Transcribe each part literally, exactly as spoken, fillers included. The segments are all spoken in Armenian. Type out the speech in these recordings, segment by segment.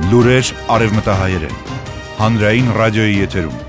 Լուրեր արևմտահայերեն։ Հանրային ռադիոյի եթերում։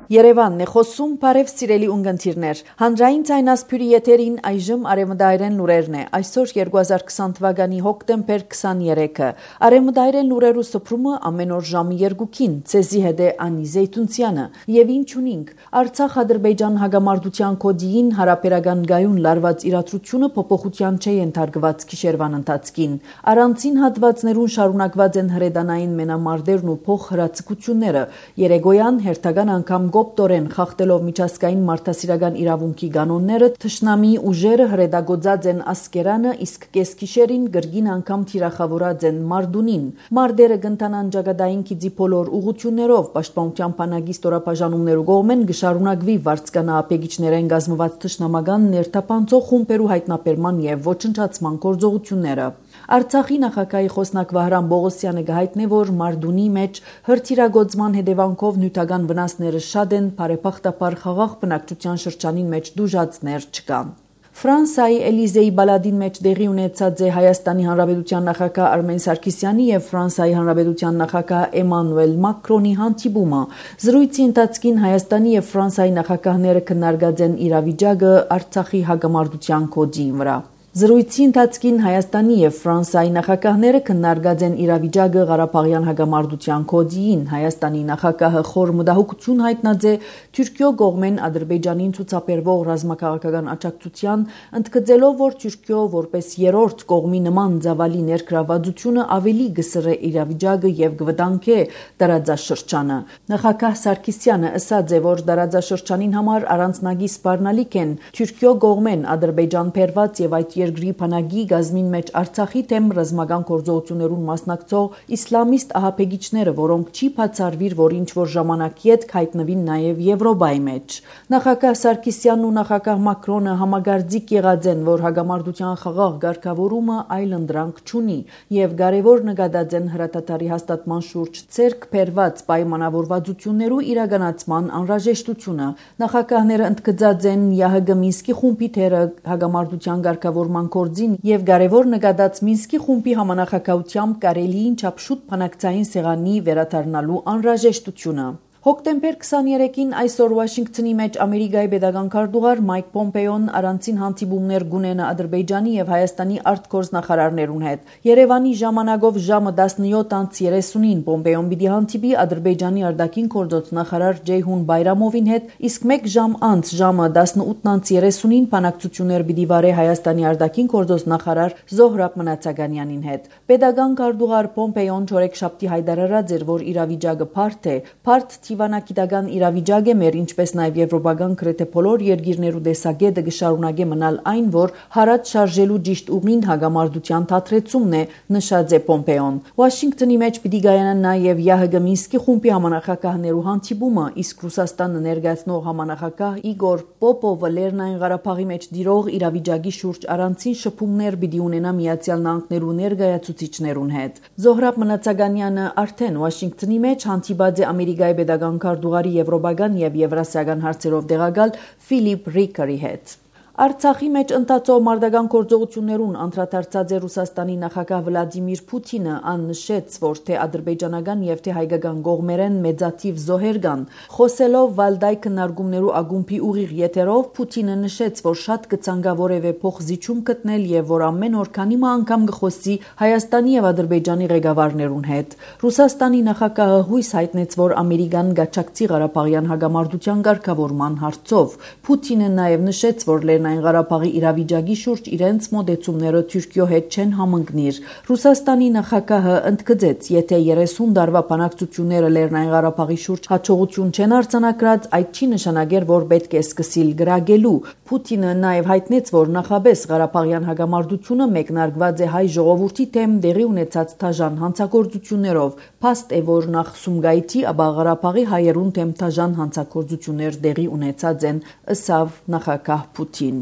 Երևանն է խոսում, բարև սիրելի ունգընտիրներ։ Հանրային ցայնասփյուրի եթերին այժմ արևմտահայերեն լուրերն է։ Այսօր երկու հազար քսան թվականի հոկտեմբեր քսաներեքը։ Արևմտահայերեն լուրերու սփռումը ամեն օր ժամը երկուքին։ Ցեզի հետ է Անի Զեյթունցյանը։ Եվ ինչ ունինք։ Արցախ-Ադրբեջան հագամարտության կոդիին հարաբերական գայուն լարված իրադրությունը փոփոխության չէ ենթարկված գիշերվան ընթացքին։ Առանցին հատվածներուն շարունակված են հրեդանային մենամարտերն ու փոխհրացակությունները։ Երեգոյան հերթական անգամ Գոպտորեն խախտելով միջազգային մարդասիրական իրավունքի կանոնները թշնամի ուժերը հրեդագործած են Ասկերանը, իսկ կեսգիշերին գրգին անգամ թիրախավորած են Մարդունին։ Մարդերը կընթանան ճակատային քիծի բոլոր ուղություններով պաշտպանության բանակի ստորաբաժանումներու կողմեն գշարունակվի վարձկանապեգիչներեն գազմված թշնամական ներթափանցող խումբերու հայտնաբերման եւ ոչնչացման գործողությունները։ Արցախի նախագահի խոսնակ Վահրամ Բողոսյանը գահիտնե, որ Մարդունի մեջ հրթիռագործման հետևանքով նյութական վնասները շատ են, բարեբախտաբար խաղաղ բնակչության շրջանին մեջ դժուժածներ չկան։ Ֆրանսիայի Էլիզեի բալադին մեջ տեղի ունեցած է Հայաստանի Հանրապետության նախագահ Արմեն Սարգսյանի եւ Ֆրանսիայի Հանրապետության նախագահ Էմանուել Մակրոնի հանդիպումը։ Զրույցի ընթացքին Հայաստանի եւ Ֆրանսիայի նախագահները քննարկած են իրավիճակը Արցախի հագամարտության կոդի վրա։ Զրույցի ընթացքին Հայաստանի եւ Ֆրանսիայի նախագահները քննարկած են իրավիճակը Ղարաբաղյան հագամարտության կոդիին։ Հայաստանի նախագահը խոր մտահոգություն հայտնած է Թուրքիո կողմեն Ադրբեջանին ցուցաբերվող ռազմաքաղաքական աջակցության, ընդգծելով, որ Թուրքիո որպես երրորդ կողմի նման ծավալի ներգրավվածությունը ավելի գսրե իրավիճակը եւ կվտանգե տարածաշրջանը։ Նախագահ Սարգսյանը ասաց է, որ տարածաշրջանին համար առանձնագի սպառնալիք են Թուրքիո կողմեն Ադրբեջան բերված եւ այդ երկրի բանակի գազմին մեջ Արցախի թեմ ռազմական գործողություններուն մասնակցող իսլամիստ ահաբեկիչները, որոնք չի բացառվիր, որ ինչ որ ժամանակի հետ հայտնվին նաև Եվրոպայի մեջ։ Նախագահ Սարգսյանն ու նախագահ Մակրոնը համագործիկ եղած են, որ հագամարտության խաղաղ ղեկավարումը այլընտրանք չունի եւ կարեւոր նկատած են հրատատարի հաստատման շուրջ ցերկ բերված պայմանավորվածություններու իրականացման անհրաժեշտությունը։ Նախագահները ընդգծած են ԵԱՀԿ Մինսկի խումբի թերը հագամարտության ղեկավարման գործին եւ կարեւոր նկատած Մինսկի խումբի համանախագահությամբ կարելիին չափշուտ բանակցային սեղանի վերադառնալու անհրաժեշտությունը։ Հոկտեմբեր քսաներեքին այսօր Վաշինգտոնի մեջ Ամերիկայի պետական քարտուղար Մայք Պոմպեոն առանցին հանդիպումներ գունենա Ադրբեջանի եւ Հայաստանի արտգործնախարարներուն հետ։ Երևանի ժամանակով ժամը տասնյոթ անց երեսունին Պոմպեոն պիտի հանդիպի Ադրբեջանի արտաքին գործոց նախարար Ջեյհուն Բայրամովին հետ, իսկ մեկ ժամ անց ժամը տասնութ անց երեսունին բանակցություններ պիտի վարե Հայաստանի արտաքին գործոց նախարար Զոհրաբ Մնացականյանին հետ։ Պետական քարտուղար Պոմպեոն չորեքշաբթի հայտարարած էր, որ իրավիճակը բարդ է, բարդ Թիվանագիտական իրավիճակ է մեր, ինչպես նաև եվրոպական գրեթե բոլոր երկիրներու տեսակետը կշարունակե մնալ այն, որ հարած շարժելու ճիշտ ուղին հագամարտության թատրեցումն է, նշած է Պոմպեոն։ Վաշինգտոնի մեջ պիտի կայանա նաև ԵԱՀԿ Մինսկի խումբի համանախագահներու հանդիպումը, իսկ Ռուսաստանը ներկայացնող համանախագահ Իգոր Պոպովը Լեռնային Ղարաբաղի մեջ դիրող իրավիճակի շուրջ առանցին շփումներ պիտի ունենա Միացյալ Նահանգներու ներկայացուցիչներուն հետ։ Զոհրաբ Մնացականյանը արդեն Վաշինգտոնի մեջ հանդիպած է Ամերիկայի պետական քարտուղարի եվրոպական եւ եվրասիական հարցերով տեղակալ Ֆիլիպ Ռիկերի հետ։ Արցախի մեջ ընթացող մարտական գործողություններուն անդրադարձած է Ռուսաստանի նախագահ Վլադիմիր Պուտինը, ան նշեց, որ թե ադրբեջանական եւ թե հայկական կողմերեն մեծաթիվ զոհեր կան։ Խոսելով Վալդայ քննարկումներու ագումբի ուղիղ եթերով Պուտինը նշեց, որ շատ կցանկա որևէ փոխզիջում գտնել եւ որ ամեն օր քանի անգամ կխոսի Հայաստանի եւ Ադրբեջանի ղեկավարներուն հետ։ Ռուսաստանի նախագահը հույս հայտնեց, որ Ամերիկան գաչակցի Ղարաբաղյան հագամարտության ղեկավարման հարցով։ Պուտինը նաեւ նշեց, որ Լեռնային Ղարաբաղի իրավիճակի շուրջ իրենց մոտեցումները Թուրքիո հետ չեն համընկնիր։ Ռուսաստանի նախագահը ընդգծեց, եթե երեսուն տարվա բանակցությունները Լեռնային Ղարաբաղի շուրջ հաջողություն չեն արձանագրած, այդ չի նշանակեր, որ պետք է սկսիլ գրագելու։ Պուտինը նաև հայտնեց, որ նախաբես Ղարաբաղյան հագամարտությունը մեկնարկված է հայ ժողովրդի թեմ դեղի ունեցած թաժան հանցագործություններով։ Փաստ է, որ նախ Սումգայիթի, ապա Ղարաբաղի հայերուն թեմ թաժան հանցագործություններ դեղի ունեցած են, ըսավ նախագահ Պուտին։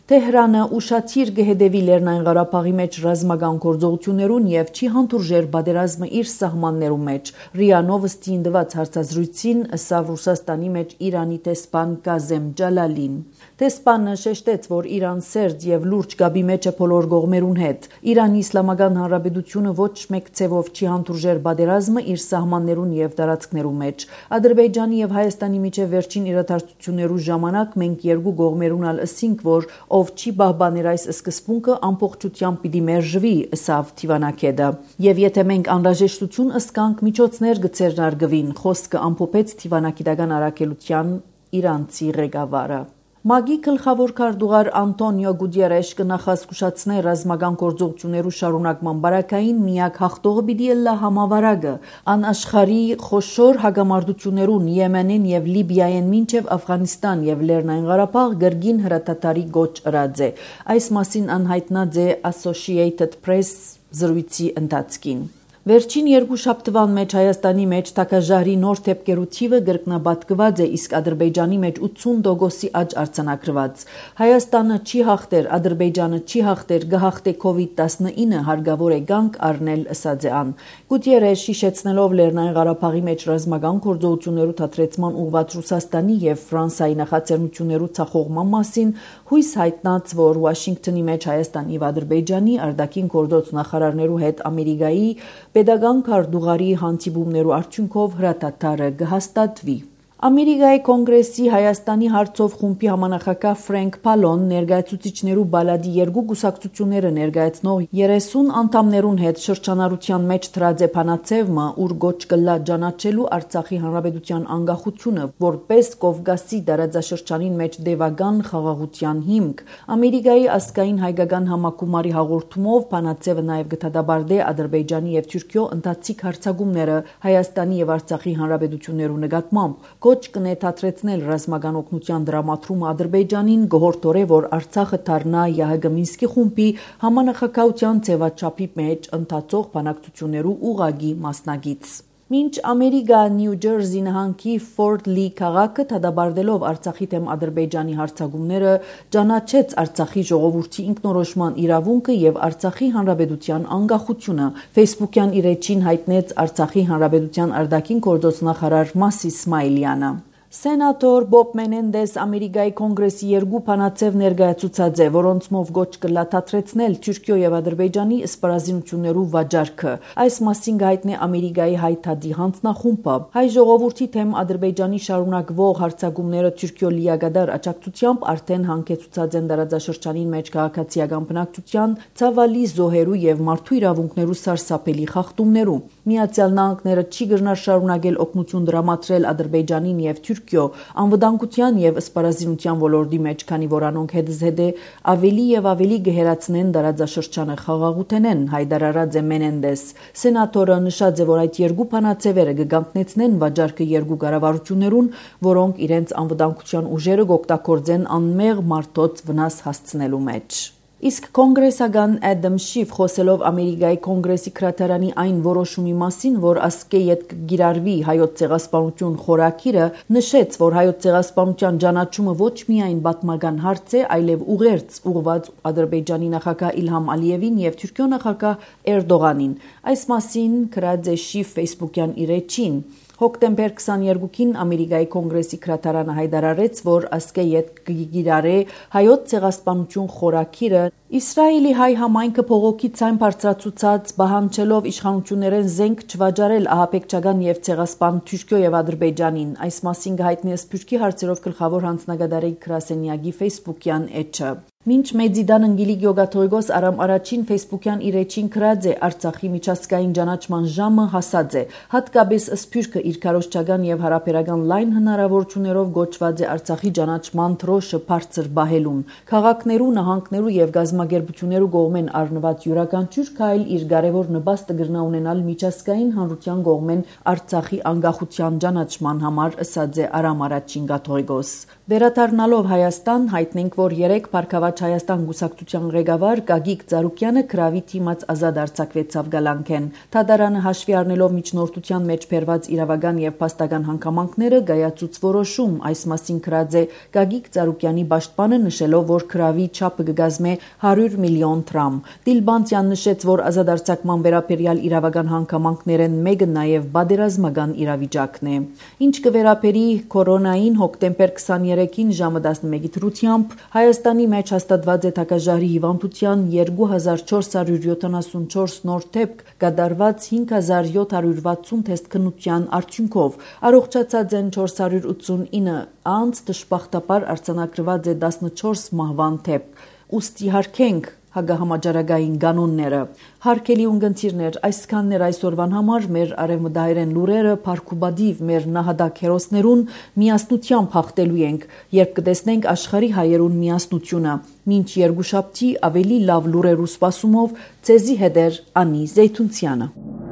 Թեհրանը ուշադիր կհետևի Լեռնային Ղարաբաղի մեջ ռազմական գործողություններուն եւ չի հանդուրժեր պատերազմը իր սահմաններու մեջ։ ՌԻԱ Նովոստին տված հարցազրույցին ըսավ Ռուսաստանի մեջ Իրանի տեսփան Կազեմ Ջալալին։ Տեսփանը շեշտեց, որ Իրան սերտ եւ լուրջ գաբի մեջ է բոլոր կողմերուն հետ։ Իրանի Իսլամական Հանրապետությունը ոչ մեկ ցևով չի հանդուրժեր պատերազմը իր սահմաններուն եւ տարածքներու մեջ։ Ադրբեջանի եւ Հայաստանի միջև վերջին իրադարձություններու ժամանակ մենք երկու կողմերուն ալ ըսինք, որ ով չի պահպաներ այս սկզբունքը ամբողջությամբ պիտի մերժվի, ըսավ Թիվանակեդը։ Եվ եթե մենք անհրաժեշտություն ըսկանք, միջոցներ կցերնարգվին, խոսքը ամփոփեց Թիվանակիդական առաքելության իրանցի ղեկավարը։ ՄԱԳ-ի գլխավոր քարտուղար Անտոնիո Գուտերեշ կնախազգուշացնե ռազմական գործողություններու շարունակման բարակային միակ հաղթողը պիտի ըլլա համավարակը։ Ան աշխարհի խոշոր հագամարտություններուն Եմենին եւ Լիբիայեն մինչեւ Աֆղանստան եւ Լեռնային Ղարաբաղ գրգին հրատատարի գոչ ըրած է։ Այս մասին անհայտնած է Associated Press զրույցի ընթացքին։ Վերջին երկու շաբթվան մեջ Հայաստանի մեջ թակաժարի նոր թեփկերու թիվը գրկնաբատկված է, իսկ Ադրբեջանի մեջ ութսուն տոկոսի աճ արձանագրված։ Հայաստանը չի հաղթեր, Ադրբեջանը չի հաղթեր, գահաղթե կովիդ տասնինը հարգավոր է գանք առնել, ըսած է ան։ Գուտերեշ հիշեցնելով Լեռնային Ղարաբաղի մեջ ռազմական գործողություններու թատրեցման ուղղված Ռուսաստանի եւ Ֆրանսիայի նախաձեռնություններու ցախողման մասին հույս հայտնած, որ Վաշինգտոնի մեջ Հայաստանի եւ Ադրբեջանի արտաքին գործոց նախարարներու հետ Ամերիկայի Պետական քարտուղարի հանդիպումներու արդյունքով հրատատարը կհաստատվի։ Ամերիկայի կոնգրեսի Հայաստանի հարցով խումբի համանախագահ Ֆրենկ Փալոն ներկայացուցիչներու բալադի երկու գուսակցությունները ներկայացնող երեսուն անդամներուն հետ շրջանառության մեջ դրած է փանացևը, ուր գոչ կլա ճանաչելու Արցախի հանրապետության անկախությունը որպես Կովկասի տարածաշրջանին մեջ դեվական խաղաղության հիմք։ Ամերիկայի ազգային հայկական համակումարի հաղորդումով փանացևը նաև գտադաբարդե Ադրբեջանի եւ Թուրքիո ընթացիկ հարձակումները Հայաստանի եւ Արցախի հանրապետություններու նկատմամբ։ Գոչ կնետատրեցնել ռազմական օգնության դրամատրումը Ադրբեջանին գոհորտորե, որ Արցախը դառնա ԵԱՀԿ Մինսկի խումբի համանախագահության ձևաչափի մեջ ընթացող բանակցություններու ուղղակի մասնագիծ։ Մինչ Ամերիկա Նյու Ջերսի նահանգի Ֆորտ Լի քաղաքը դադարելով Արցախի դեմ Ադրբեջանի հարձակումները ճանաչեց Արցախի ժողովրդի ինքնորոշման իրավունքը եւ Արցախի հանրապետության անկախությունը։ Facebook-յան իր էջին հայտնեց Արցախի հանրապետության արտաքին գործոց նախարար Մասի Իսմայելյանը։ Սենատոր Բոբ Մենենդես Ամերիկայի կոնգրեսի երկու փանացև ներկայացուցած է, որոնցմով գոչ կլաթատրեցնել Թուրքիո եւ Ադրբեջանի սպառազինություններու վաճառքը։ Այս մասին գայտնե Ամերիկայի հայտարարի հանձնախումբը։ Հայ ժողովրդի թեմ Ադրբեջանի շարունակվող հարձակումները Թուրքիո լիագադար աջակցությամբ արդեն հանգեցուցած են տարածաշրջանին մեջ քաղաքացիական բնակչության ցավալի զոհերու եւ մարդու իրավունքներու սարսափելի խախտումներու։ Միացյալ Նահանգները չի գնար շարունակել օգնություն դրամատրել Ադրբեջանին եւ Թուրքիո անվտանգության եւ սպառազինության ոլորտի մեջ, քանի որ անոնք հետզհետե ավելի եւ ավելի գերացնեն տարածաշրջանը խաղաղութենեն, հայտարարած է Մենենդես։ Սենատորը նշած է, որ այդ երկու փանացևերը կգանքնեցնեն վաճառքը երկու կառավարություններուն, որոնք իրենց անվտանգության ուժերը կօգտագործեն անմեղ մարդոց վնաս հասցնելու մեջ։ Իսկ կոնգրեսական Ադամ Շիֆ խոսելով Ամերիկայի կոնգրեսի քրատարանի այն որոշումի մասին, որ ասկե յետ գիրարվի հայոց ցեղասպանություն խորակիրը, նշեց, որ հայոց ցեղասպանության ճանաչումը ոչ միայն պատմական հարց է, այլև ուղերձ ուղղված Ադրբեջանի նախագահ Իլհամ Ալիևին եւ Թուրքիո նախագահ Էրդողանին։ Այս մասին գրած է Շիֆ Facebook-յան իր էջին։ Հոկտեմբեր քսաներկուին Ամերիկայի կոնգրեսի քրատարանը հայտարարեց, որ ասկե յետ գիրարե հայոց ցեղասպանություն խորակիրը Իսրայելի հայ համայնքը փողոքի ցայն բարձրացուցած բահանջելով իշխանություններեն զենք չվաճառել ահաբեկչական եւ ցեղասպան Թուրքիո եւ Ադրբեջանին։ Այս մասին հայտնի Սփյուռքի հարցերով գլխավոր հանձնագետարի Կրասենյագի Facebook-յան էջը։ Մինչ Մեծիդան Անգելի Գյոգաթողիկոս Արամ առաջին Facebook-յան իր էջին գրած է Արցախի միջազգային ճանաչման ժամը հասած է։ Հատկապես Սփյուռքը իր քարոզչական եւ հարաբերական լայն հնարավորություններով գոչված է Արցախի ճանաչման թրոշը բարձր բահելուն։ Քաղաքներու, նահանգներու եւ գազམ་ագերբություններու կողմեն առնված յուրաքանչյուր քայլ իր կարևոր նպաստը կգրնա ունենալ միջազգային հանրության կողմեն Արցախի անկախության ճանաչման համար, ըսած է Արամ առաջին Գաթողիկոս։ Վերադառնալով Հայաստան հայտնենք, որ երեք Փարքավաճ Խաչ Հայաստան գուսակցության ղեկավար Գագիկ Ծառուկյանը քրավի թիմած ազատ արձակվեցավ գալանքեն։ Թադարանը հաշվի առնելով միջնորդության մեջ բերված իրավական եւ փաստական հանգամանքները գայացուց որոշում այս մասին քրած է Գագիկ Ծառուկյանի պաշտպանը նշելով, որ քրավի չափը կգազմե հարյուր միլիոն դրամ։ Դիլբանդյան նշեց, որ ազատ արձակման վերաբերյալ իրավական հանգամանքներն մեկը նաեւ բادرազմական իրավիճակն է։ Ինչ կվերապերի կորոնային հոկտեմբեր քսաներեքին ժամը տասնմեկի դրությամբ Հայաստանի մեջ հաստատված է թագաժարի հիվանդության երկու հազար չորս հարյուր յոթանասունչորս նոր դեպք կատարված հինգ հազար յոթ հարյուր վաթսուն թեստ քննության արդյունքով առողջացած են չորս հարյուր ութսունինը անց դժբախտաբար արձանագրված է տասնչորս մահվան դեպք ուստի հարգենք հագահամաճարակային կանոնները հարգելի ունգընտիրներ այսքաններ այսօրվան համար մեր արևմտահայերեն լուրերը փարքուբադիվ մեր նահատակ հերոսներուն միասնությամբ հաղթելու ենք երբ կտեսնենք աշխարհի հայերուն միասնությունը մինչ երկուշաբթի ավելի լավ լուրերու սպասումով ցեզի հետեր Անի Զեյթունցյանը